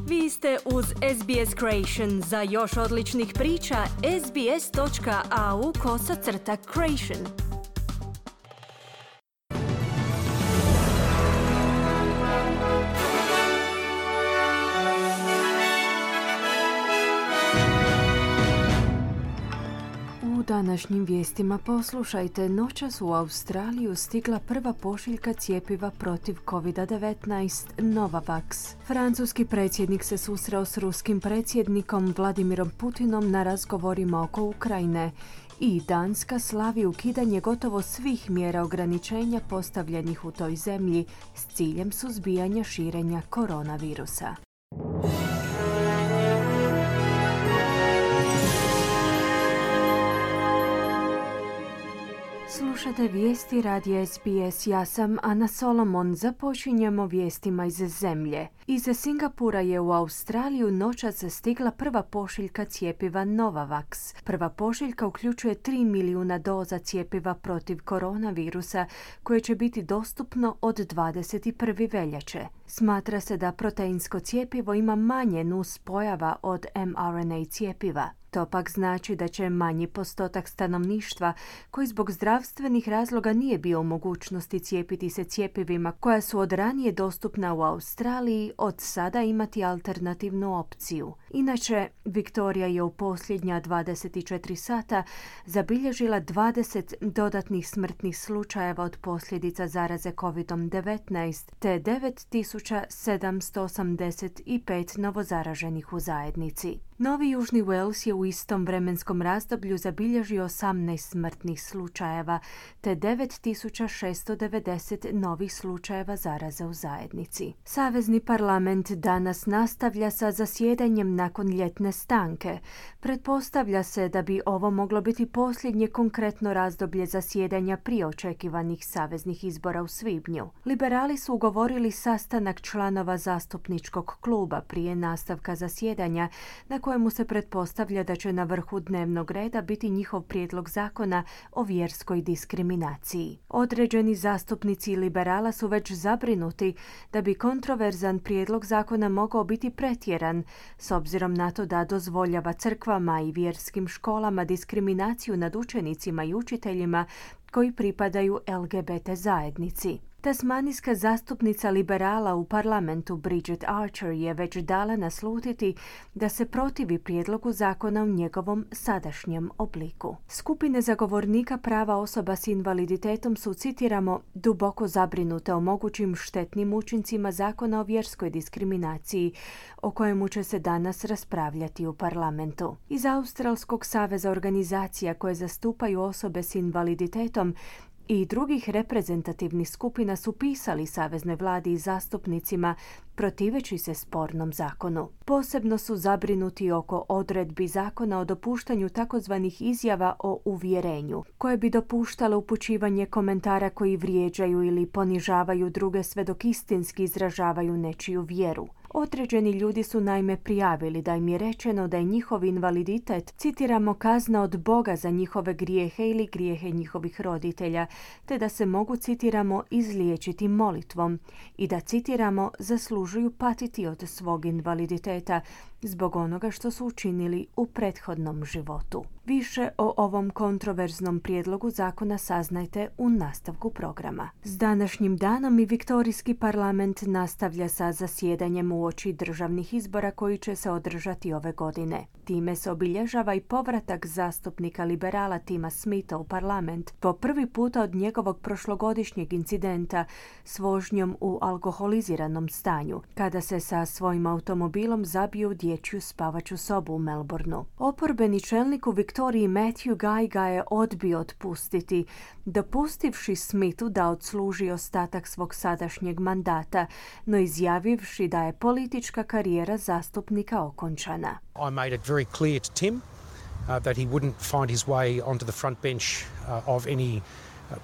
Vi ste uz SBS Creation. Za još odličnih priča, sbs.au/creation. U današnjim vijestima poslušajte, noćas u Australiju stigla prva pošiljka cjepiva protiv COVID-19, Novavax. Francuski predsjednik se susreo s ruskim predsjednikom Vladimirom Putinom na razgovorima oko Ukrajine i Danska slavi ukidanje gotovo svih mjera ograničenja postavljenih u toj zemlji s ciljem suzbijanja širenja koronavirusa. Slušate vijesti radija SBS, ja sam Ana Solomon. Započinjemo vijestima iz zemlje. Iz Singapura je u Australiju noćas stigla prva pošiljka cjepiva Novavax. Prva pošiljka uključuje 3 milijuna doza cjepiva protiv koronavirusa koje će biti dostupno od 21. veljače. Smatra se da proteinsko cjepivo ima manje nuspojava od mRNA cjepiva. To pak znači da će manji postotak stanovništva koji zbog zdravstvenih razloga nije bio u mogućnosti cijepiti se cjepivima koja su od ranije dostupna u Australiji od sada imati alternativnu opciju. Inače, Viktorija je u posljednja 24 sata zabilježila 20 dodatnih smrtnih slučajeva od posljedica zaraze COVID-19 te 9785 novozaraženih u zajednici. Novi Južni Wales je u istom vremenskom razdoblju zabilježio 18 smrtnih slučajeva te 9690 novih slučajeva zaraze u zajednici. Savezni parlament danas nastavlja sa zasjedanjem nakon ljetne stanke. Pretpostavlja se da bi ovo moglo biti posljednje konkretno razdoblje zasjedanja prije očekivanih saveznih izbora u svibnju. Liberali su ugovorili sastanak članova zastupničkog kluba prije nastavka zasjedanja na kojemu se pretpostavlja da će na vrhu dnevnog reda biti njihov prijedlog zakona o vjerskoj diskriminaciji. Određeni zastupnici liberala su već zabrinuti da bi kontroverzan prijedlog zakona mogao biti pretjeran, s obzirom na to da dozvoljava crkvama i vjerskim školama diskriminaciju nad učenicima i učiteljima koji pripadaju LGBT zajednici. Tasmanijska zastupnica liberala u parlamentu Bridget Archer je već dala naslutiti da se protivi prijedlogu zakona u njegovom sadašnjem obliku. Skupine zagovornika prava osoba s invaliditetom su, citiramo, duboko zabrinute o mogućim štetnim učincima zakona o vjerskoj diskriminaciji, o kojemu će se danas raspravljati u parlamentu. Iz Australskog saveza organizacija koje zastupaju osobe s invaliditetom i drugih reprezentativnih skupina su pisali saveznoj vladi i zastupnicima protiveći se spornom zakonu. Posebno su zabrinuti oko odredbi zakona o dopuštanju takozvanih izjava o uvjerenju, koje bi dopuštale upućivanje komentara koji vrijeđaju ili ponižavaju druge sve dok istinski izražavaju nečiju vjeru. Određeni ljudi su naime prijavili da im je rečeno da je njihov invaliditet, citiramo, kazna od Boga za njihove grijehe ili grijehe njihovih roditelja, te da se mogu, citiramo, izliječiti molitvom i da, citiramo, zaslužuju patiti od svog invaliditeta zbog onoga što su učinili u prethodnom životu. Više o ovom kontroverznom prijedlogu zakona saznajte u nastavku programa. S današnjim danom i Viktorijski parlament nastavlja sa zasjedanjem uoči državnih izbora koji će se održati ove godine. Time se obilježava i povratak zastupnika liberala Tima Smitha u parlament po prvi puta od njegovog prošlogodišnjeg incidenta s vožnjom u alkoholiziranom stanju, kada se sa svojim automobilom zabio u dječju spavaću sobu u Melbourneu. Oporbeni čelnik u Viktoriji Matthew Guy ga je odbio otpustiti, dopustivši Smithu da odsluži ostatak svog sadašnjeg mandata, no izjavivši da je politička karijera zastupnika okončana. I made it very clear to Tim that he wouldn't find his way onto the front bench of any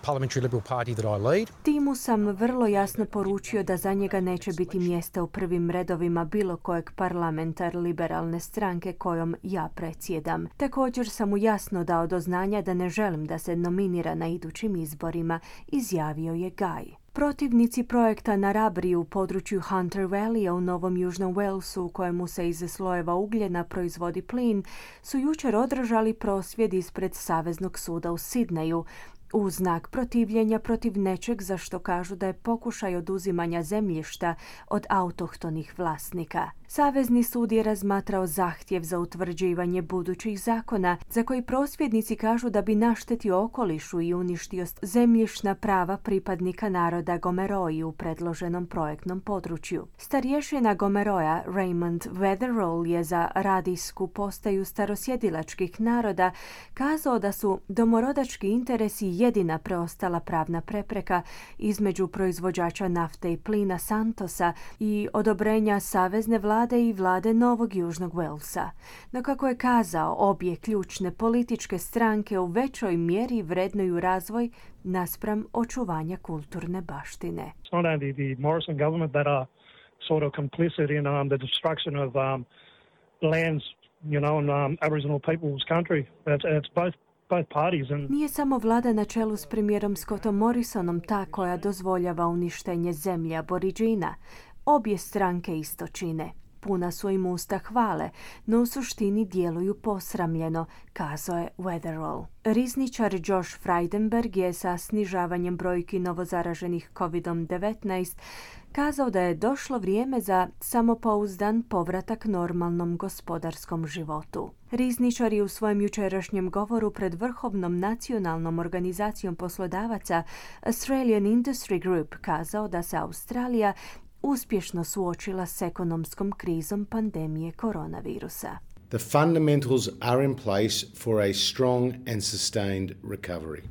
parliamentary Liberal party that I lead. Timu sam vrlo jasno poručio da za njega neće biti mjesta u prvim redovima bilo kojeg parlamentar liberalne stranke kojom ja predsjedam. Također sam mu jasno dao do znanja da ne želim da se nominira na idućim izborima, izjavio je Guy. Protivnici projekta Narabri u području Hunter Valleya u Novom Južnom Walesu, u kojemu se iz slojeva ugljena proizvodi plin, su jučer održali prosvjed ispred Saveznog suda u Sidneju, u znak protivljenja protiv nečeg za što kažu da je pokušaj oduzimanja zemljišta od autohtonih vlasnika. Savezni sud je razmatrao zahtjev za utvrđivanje budućih zakona za koji prosvjednici kažu da bi naštetio okolišu i uništio zemljišna prava pripadnika naroda Gomeroi u predloženom projektnom području. Starješina Gomeroja Raymond Weatherall je za radijsku postaju starosjedilačkih naroda kazao da su domorodački interesi jedina preostala pravna prepreka između proizvođača nafte i plina Santosa i odobrenja savezne vlade i vlade Novog Južnog Walesa. No kako je kazao, obje ključne političke stranke u većoj mjeri vrednuju razvoj naspram očuvanja kulturne baštine. It's not only the Morrison government that are sort of complicit in the destruction of lands, in Aboriginal people's country. It's both parties. Nije samo vlada na čelu s premijerom Scottom Morrisonom ta koja dozvoljava uništenje zemlje Aboriđina. Obje stranke isto čine. Puna su im usta hvale, no u suštini djeluju posramljeno, kazao je Weatherall. Rizničar Josh Frydenberg je sa snižavanjem brojki novozaraženih COVID-19 kazao da je došlo vrijeme za samopouzdan povratak normalnom gospodarskom životu. Rizničar je u svojem jučerašnjem govoru pred Vrhovnom nacionalnom organizacijom poslodavaca Australian Industry Group kazao da se Australija uspješno suočila s ekonomskom krizom pandemije koronavirusa. The fundamentals are in place for a strong and sustained recovery.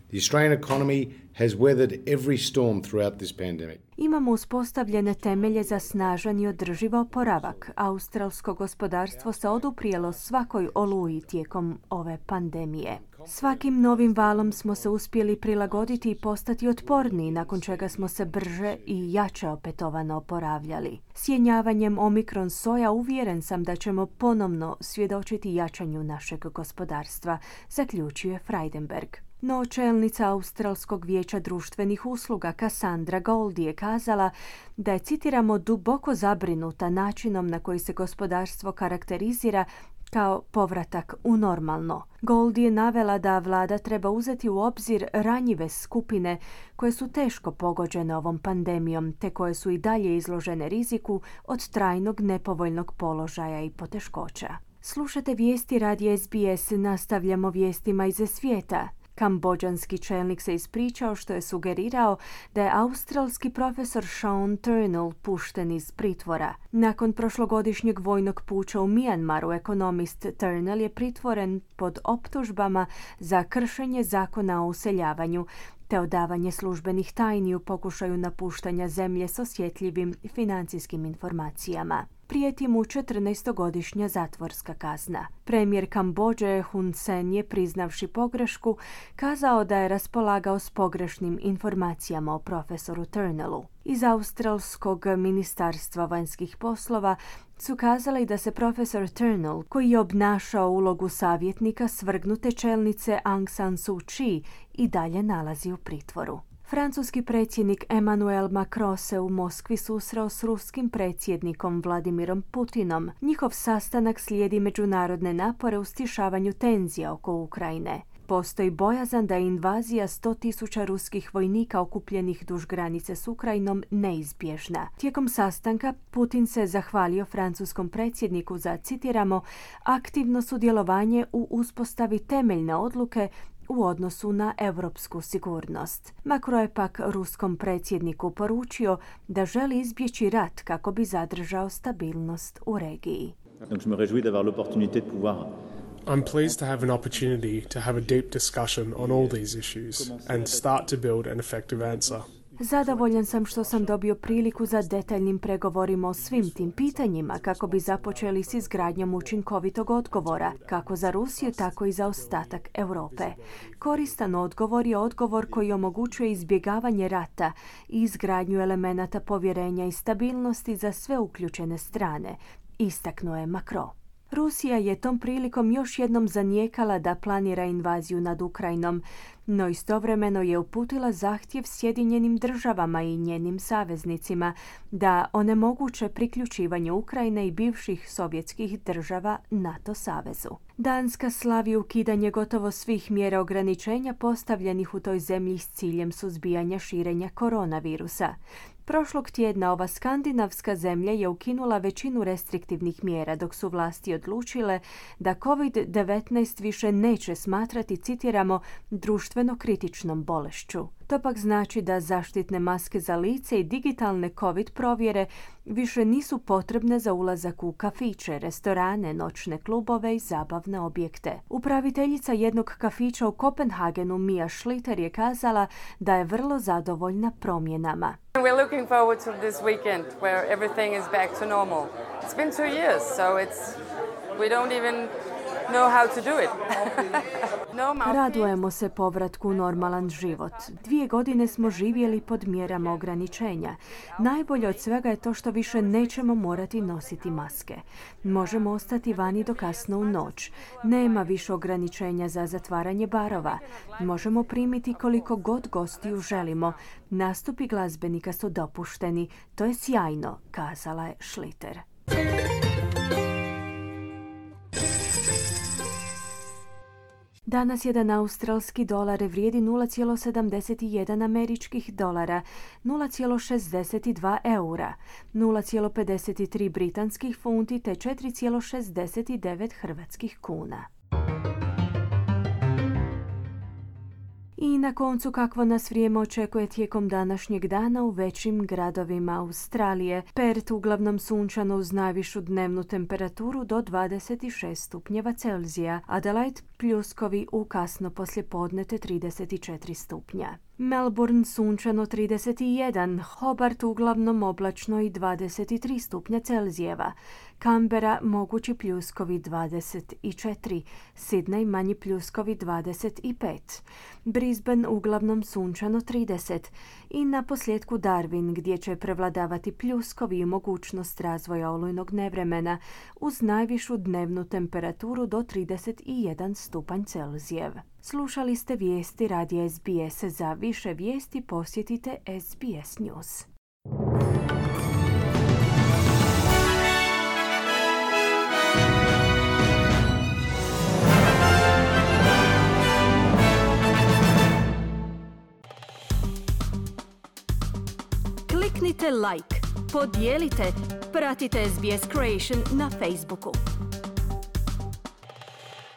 The Australian economy has weathered every storm throughout this pandemic. Imamo uspostavljene temelje za snažan i održiv oporavak. Australsko gospodarstvo se oduprijelo svakoj oluji tijekom ove pandemije. Svakim novim valom smo se uspjeli prilagoditi i postati otporniji, nakon čega smo se brže i jače opetovano oporavljali. Sjenjavanjem Omikron soja uvjeren sam da ćemo ponovno svjedočiti jačanju našeg gospodarstva, zaključuje Frydenberg. No čelnica Australskog vijeća društvenih usluga Cassandra Goldie je kazala da je, citiramo, duboko zabrinuta načinom na koji se gospodarstvo karakterizira kao povratak u normalno. Goldie je navela da vlada treba uzeti u obzir ranjive skupine koje su teško pogođene ovom pandemijom te koje su i dalje izložene riziku od trajnog nepovoljnog položaja i poteškoća. Slušate vijesti radija SBS, nastavljamo vijestima iz svijeta. Kambodžanski čelnik se ispričao što je sugerirao da je australski profesor Sean Turnell pušten iz pritvora. Nakon prošlogodišnjeg vojnog puča u Mijanmaru, ekonomist Turnell je pritvoren pod optužbama za kršenje zakona o useljavanju te odavanje službenih tajni u pokušaju napuštanja zemlje s osjetljivim financijskim informacijama. Prijeti mu 14-godišnja zatvorska kazna. Premijer Kambodže Hun Sen je, priznavši pogrešku, kazao da je raspolagao s pogrešnim informacijama o profesoru Turnellu. Iz Australskog ministarstva vanjskih poslova su kazali da se profesor Turnell, koji je obnašao ulogu savjetnika svrgnute čelnice Aung San Suu Kyi, i dalje nalazi u pritvoru. Francuski predsjednik Emmanuel Macron se u Moskvi susreo s ruskim predsjednikom Vladimirom Putinom. Njihov sastanak slijedi međunarodne napore u stišavanju tenzija oko Ukrajine. Postoji bojazan da je invazija 100.000 ruskih vojnika okupljenih duž granice s Ukrajinom neizbježna. Tijekom sastanka Putin se zahvalio francuskom predsjedniku za, citiramo, aktivno sudjelovanje u uspostavi temeljne odluke u odnosu na europsku sigurnost. Macron je pak ruskom predsjedniku poručio da želi izbjeći rat kako bi zadržao stabilnost u regiji. I'm pleased to have an opportunity to have a deep discussion on all these issues and start to build an effective answer. Zadovoljan sam što sam dobio priliku za detaljnim pregovorima o svim tim pitanjima kako bi započeli s izgradnjom učinkovitog odgovora, kako za Rusiju, tako i za ostatak Europe. Koristan odgovor je odgovor koji omogućuje izbjegavanje rata i izgradnju elemenata povjerenja i stabilnosti za sve uključene strane, istaknuo je Macron. Rusija je tom prilikom još jednom zanijekala da planira invaziju nad Ukrajinom, no istovremeno je uputila zahtjev Sjedinjenim državama i njenim saveznicima da onemoguće priključivanje Ukrajine i bivših sovjetskih država NATO savezu. Danska slavi ukidanje gotovo svih mjera ograničenja postavljenih u toj zemlji s ciljem suzbijanja širenja koronavirusa. Prošlog tjedna ova skandinavska zemlja je ukinula većinu restriktivnih mjera, dok su vlasti odlučile da COVID-19 više neće smatrati, citiramo, društveno kritičnom bolešću. To pak znači da zaštitne maske za lice i digitalne COVID provjere više nisu potrebne za ulazak u kafiće, restorane, noćne klubove i zabavne objekte. Upraviteljica jednog kafića u Kopenhagenu, Mia Schlitter, je kazala da je vrlo zadovoljna promjenama. We're looking forward to this weekend where everything is back to normal. It's been 2 years, so we don't even know how to do it. Radujemo se povratku u normalan život. 2 godine smo živjeli pod mjerama ograničenja. Najbolje od svega je to što više nećemo morati nositi maske. Možemo ostati vani do kasno u noć. Nema više ograničenja za zatvaranje barova. Možemo primiti koliko god gostiju želimo. Nastupi glazbenika su dopušteni. To je sjajno, kazala je Schlitter. Danas jedan australski dolar vrijedi 0,71 američkih dolara, 0,62 eura, 0,53 britanskih funti te 4,69 hrvatskih kuna. I na koncu, kakvo nas vrijeme očekuje tijekom današnjeg dana u većim gradovima Australije. Perth uglavnom sunčano uz najvišu dnevnu temperaturu do 26 stupnjeva Celzija. Adelaide pljuskovi u kasno poslijepodne te 34 stupnja. Melbourne sunčano 31, Hobart uglavnom oblačno i 23 stupnja Celzijeva. Canberra mogući pljuskovi 24, Sydney manji pljuskovi 25, Brisbane uglavnom sunčano 30 i na posljedku Darwin gdje će prevladavati pljuskovi i mogućnost razvoja olujnog nevremena uz najvišu dnevnu temperaturu do 31 stupanj Celzijev. Slušali ste vijesti radija SBS. Za više vijesti posjetite SBS News. Kliknite like, podijelite, pratite SBS Creation na Facebooku.